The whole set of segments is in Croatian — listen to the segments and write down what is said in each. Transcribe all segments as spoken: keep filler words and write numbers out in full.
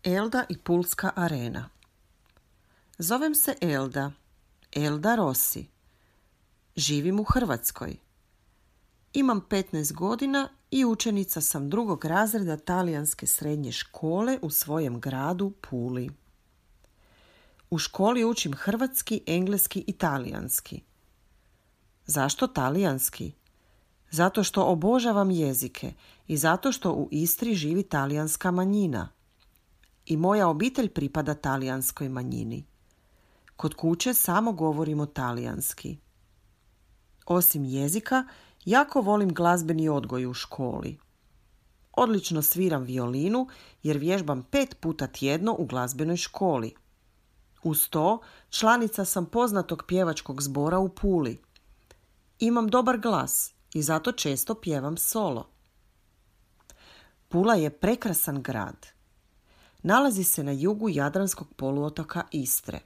Elda i Pulska arena. Zovem se Elda, Elda Rossi. Živim u Hrvatskoj. Imam petnaest godina i učenica sam drugog razreda talijanske srednje škole u svojem gradu Puli. U školi učim hrvatski, engleski i talijanski. Zašto talijanski? Zato što obožavam jezike i zato što u Istri živi talijanska manjina. I moja obitelj pripada talijanskoj manjini. Kod kuće samo govorimo talijanski. Osim jezika, jako volim glazbeni odgoj u školi. Odlično sviram violinu jer vježbam pet puta tjedno u glazbenoj školi. Uz to, članica sam poznatog pjevačkog zbora u Puli. Imam dobar glas i zato često pjevam solo. Pula je prekrasan grad. Nalazi se na jugu Jadranskog poluotoka Istre.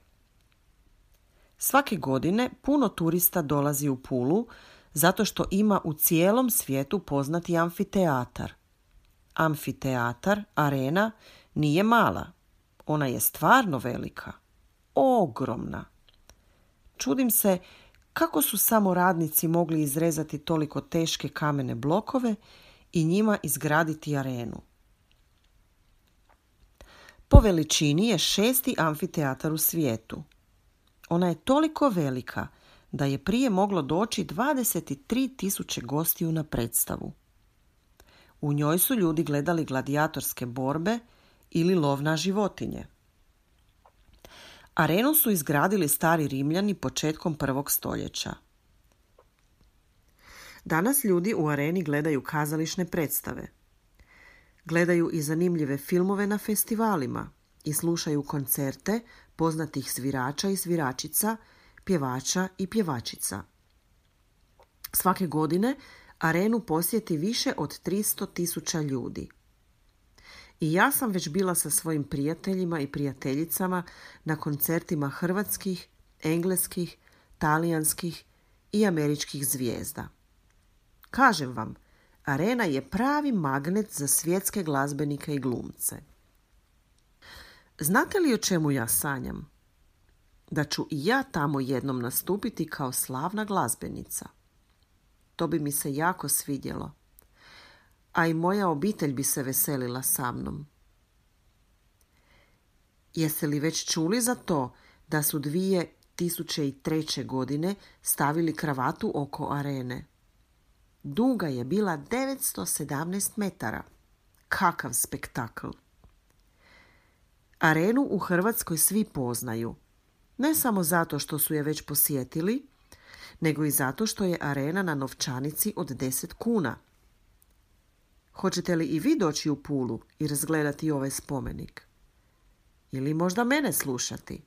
Svake godine puno turista dolazi u Pulu zato što ima u cijelom svijetu poznati amfiteatar. Amfiteatar, arena, nije mala. Ona je stvarno velika. Ogromna. Čudim se kako su samo radnici mogli izrezati toliko teške kamene blokove i njima izgraditi arenu. Po veličini je šesti amfiteatar u svijetu. Ona je toliko velika da je prije moglo doći dvadeset tri tisuće gostiju na predstavu. U njoj su ljudi gledali gladijatorske borbe ili lov na životinje. Arenu su izgradili stari Rimljani početkom prvog stoljeća. Danas ljudi u areni gledaju kazališne predstave. Gledaju i zanimljive filmove na festivalima i slušaju koncerte poznatih svirača i sviračica, pjevača i pjevačica. Svake godine arenu posjeti više od tristo tisuća ljudi. I ja sam već bila sa svojim prijateljima i prijateljicama na koncertima hrvatskih, engleskih, talijanskih i američkih zvijezda. Kažem vam, arena je pravi magnet za svjetske glazbenike i glumce. Znate li o čemu ja sanjam? Da ću i ja tamo jednom nastupiti kao slavna glazbenica. To bi mi se jako svidjelo. A i moja obitelj bi se veselila sa mnom. Jeste li već čuli za to da su dvije tisuće treće. godine stavili kravatu oko arene? Duga je bila devetsto sedamnaest metara. Kakav spektakl! Arenu u Hrvatskoj svi poznaju. Ne samo zato što su je već posjetili, nego i zato što je arena na novčanici od deset kuna. Hoćete li i vi doći u Pulu i razgledati ovaj spomenik? Ili možda mene slušati?